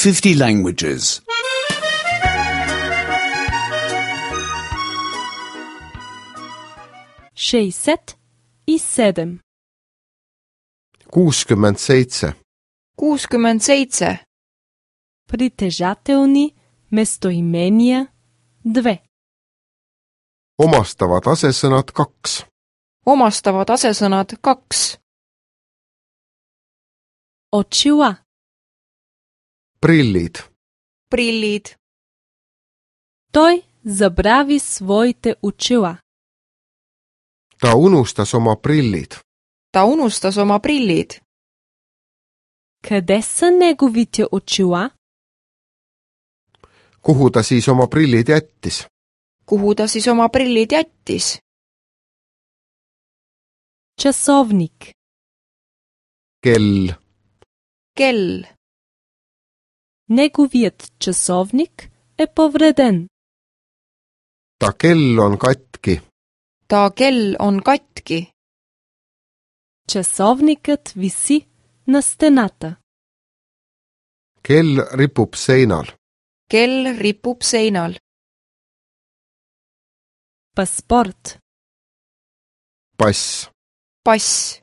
50 languages. 67 67. 67. Притежателни местоимения 2. Omastavad asesõnad 2. Omastavad asesõnad 2. Очила. Prillid. Prillid. Той забрави своите очила. Ta unustas oma prillid. Ta unustas oma prillid. Къде са неговите очила? Kuhu ta siis oma prillid jättis? Kuhu ta siis oma prillid jättis? Часовник. Kell. Kell. Неговият часовник е повреден. Ta kell on katki. Ta kell on katki. Часовникът виси на стената. Kell ripub seinal. Kell ripub seinal. Паспорт. Pass. Pass.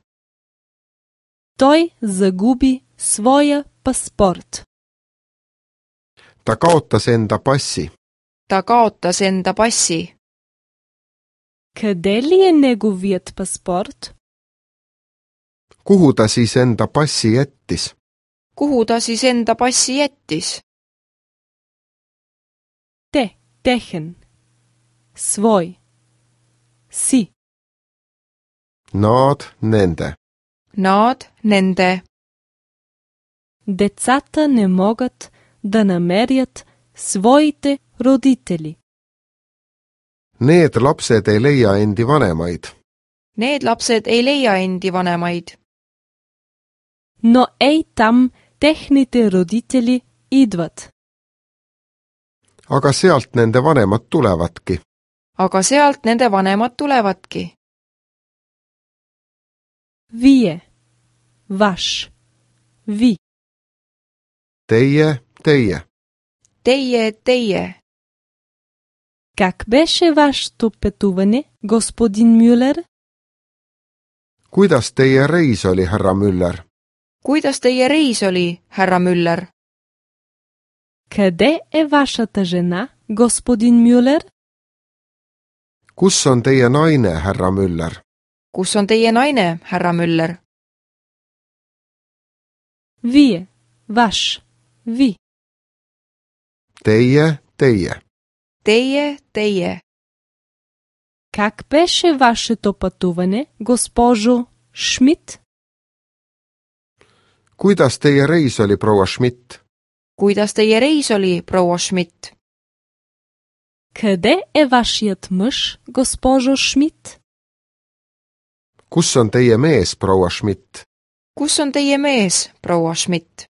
Той загуби своя паспорт. Ta kaotas enda passi. Ta kaotas enda passi. Къде ли е неговият паспорт? Kuhu ta siis enda passi jättis? Kuhu ta siis enda passi jättis? Те, техен. Свой. Си. Nad, nende. Nad, nende. Децата не могат да намерят своите родители. Need lapsed ei leia endi vanemaid. Need lapsed ei leia endi vanemaid. Но ей там техните родители идват. Aga sealt nende vanemad tulevadki. Aga sealt nende vanemad tulevadki. Вие. Ваш. Ви. Teie, teie. Teie, teie. Как беше вашето пътуване, господин Мюлер? Kuidas teie reis oli, härra Müller? Kuidas teie reis oli, härra Müller? Къде е вашата жена, господин Мюлер? Kus on teie naine, härra Müller? Kus on teie naine, härra Müller? Вие. Ваш. Ви. Teie, teie. Teie, teie. Как беше вашето пътуване, госпожо Шмидт? Kuidas teie reis oli, proua Schmidt? Kuidas teie reis oli, proua Schmidt? Къде е вашият мъж, госпожо Шмидт? Kus on teie mees, proua Schmidt? Kus on teie mees, proua Schmidt?